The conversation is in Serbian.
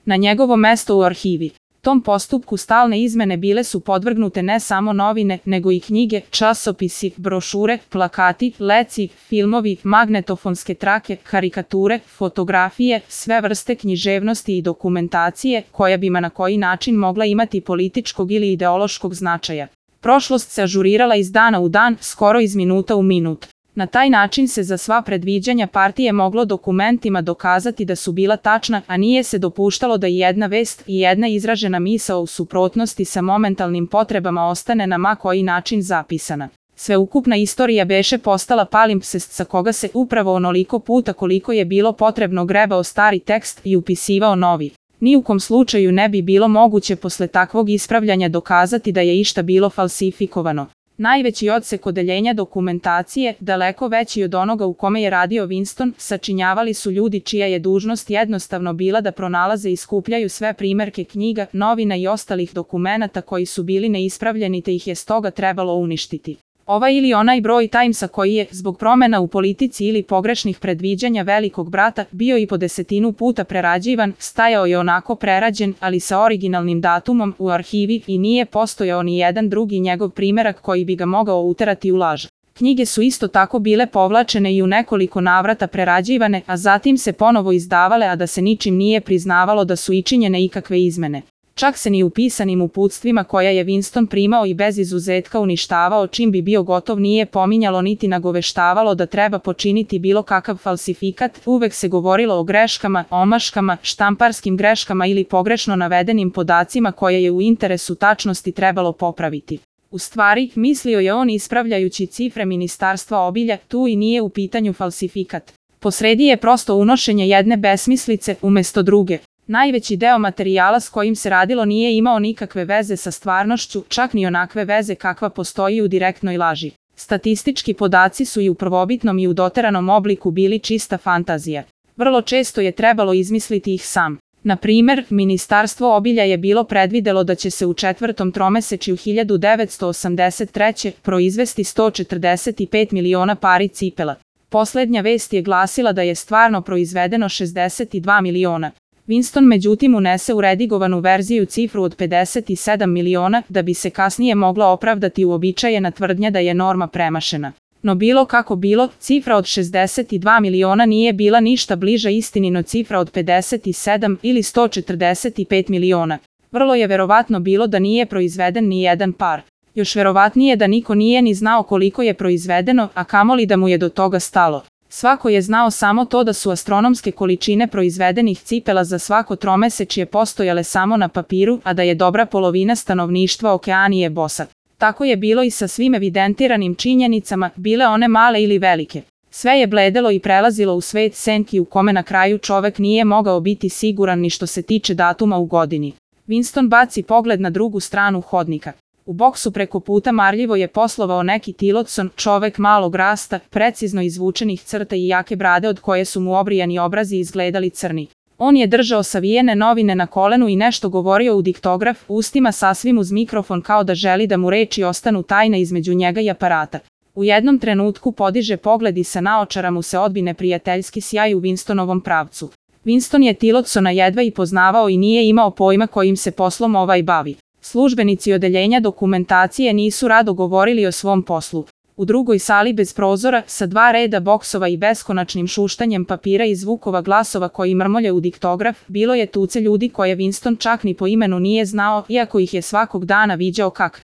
na njegovo mesto u arhivi. Tom postupku stalne izmene bile su podvrgnute ne samo novine, nego i knjige, časopisi, brošure, plakati, leci, filmovi, magnetofonske trake, karikature, fotografije, sve vrste književnosti i dokumentacije, koja bi na koji način mogla imati političkog ili ideološkog značaja. Prošlost se ažurirala iz dana u dan, skoro iz minuta u minut. Na taj način se za sva predviđanja partije moglo dokumentima dokazati da su bila tačna, a nije se dopuštalo da i jedna vest i jedna izražena misao u suprotnosti sa momentalnim potrebama ostane na ma koji način zapisana. Sveukupna istorija beše postala palimpsest sa koga se upravo onoliko puta koliko je bilo potrebno grebao stari tekst i upisivao novi. Ni u kom slučaju ne bi bilo moguće posle takvog ispravljanja dokazati da je išta bilo falsifikovano. Najveći odsek odeljenja dokumentacije, daleko veći od onoga u kome je radio Winston, sačinjavali su ljudi čija je dužnost jednostavno bila da pronalaze i skupljaju sve primerke knjiga, novina i ostalih dokumenata koji su bili neispravljeni te ih je stoga trebalo uništiti. Ovaj ili onaj broj Timesa koji je, zbog promena u politici ili pogrešnih predviđanja velikog brata, bio i po 10 puta prerađivan, stajao je onako prerađen, ali sa originalnim datumom u arhivi i nije postojao ni jedan drugi njegov primerak koji bi ga mogao uterati u laž. Knjige su isto tako bile povlačene i u nekoliko navrata prerađivane, a zatim se ponovo izdavale, a da se ničim nije priznavalo da su učinjene ikakve izmene. Čak se ni u pisanim uputstvima koja je Winston primao i bez izuzetka uništavao čim bi bio gotov nije pominjalo niti nagoveštavalo da treba počiniti bilo kakav falsifikat, uvek se govorilo o greškama, omaškama, štamparskim greškama ili pogrešno navedenim podacima koje je u interesu tačnosti trebalo popraviti. U stvari, mislio je on ispravljajući cifre Ministarstva obilja, tu i nije u pitanju falsifikat. Posredi je prosto unošenje jedne besmislice umesto druge. Najveći deo materijala s kojim se radilo nije imao nikakve veze sa stvarnošću, čak ni onakve veze kakva postoji u direktnoj laži. Statistički podaci su i u prvobitnom i u doteranom obliku bili čista fantazija. Vrlo često je trebalo izmisliti ih sam. Na primer, Ministarstvo obilja je bilo predvidelo da će se u 4. tromesečju 1983. proizvesti 145 miliona pari cipela. Poslednja vest je glasila da je stvarno proizvedeno 62 miliona. Winston međutim unese u redigovanu verziju cifru od 57 miliona da bi se kasnije mogla opravdati uobičajena tvrdnja da je norma premašena. No bilo kako bilo, cifra od 62 miliona nije bila ništa bliža istini no cifra od 57 ili 145 miliona. Vrlo je verovatno bilo da nije proizveden ni jedan par. Još verovatnije da niko nije ni znao koliko je proizvedeno, a kamoli da mu je do toga stalo. Svako je znao samo to da su astronomske količine proizvedenih cipela za svako tromesečje postojale samo na papiru, a da je dobra polovina stanovništva Okeanije bosa. Tako je bilo i sa svim evidentiranim činjenicama, bile one male ili velike. Sve je bledelo i prelazilo u svet senki u kome na kraju čovek nije mogao biti siguran ni što se tiče datuma u godini. Winston baci pogled na drugu stranu hodnika. U boksu preko puta marljivo je poslovao neki Tillotson, čovek malog rasta, precizno izvučenih crta i jake brade od koje su mu obrijani obrazi izgledali crni. On je držao savijene novine na kolenu i nešto govorio u diktograf, ustima sasvim uz mikrofon kao da želi da mu reči ostanu tajna između njega i aparata. U jednom trenutku podiže pogled i sa naočara mu se odbi neprijateljski sjaj u Winstonovom pravcu. Winston je Tillotsona jedva i poznavao i nije imao pojma kojim se poslom ovaj bavi. Službenici odeljenja dokumentacije nisu rado govorili o svom poslu. U drugoj sali bez prozora, sa 2 reda boksova i beskonačnim šuštanjem papira i zvukova glasova koji mrmolje u diktograf, bilo je tuce ljudi koje Winston čak ni po imenu nije znao, iako ih je svakog dana viđao kak